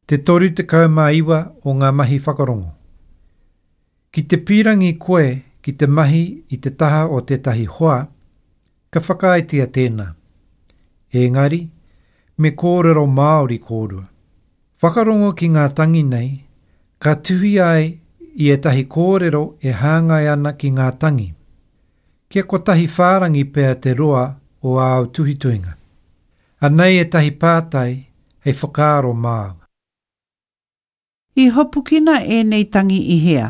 Te 39 o ngā mahi whakarongo. Ki te pīrangi koe ki te mahi i te taha o tētahi hoa, ka whakaaetia tēnā. Engari, me kōrero Māori kōrua. Whakarongo ki ngā tangi nei, ka tuhi ai i ētahi kōrero e hāngai ana ki ngā tangi. Kia kotahi whārangi pea te roa o āu tuhituhinga. Anei ētahi pātai hei whakaaro māu. I hopukina ēnei tangi i hea?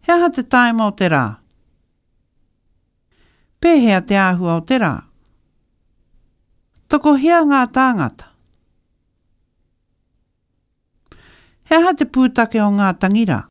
He aha te tāima o te rā? Pēhea te āhua o te rā? Tokohia ngā tāngata? He aha te pūtake o ngā tangi rā?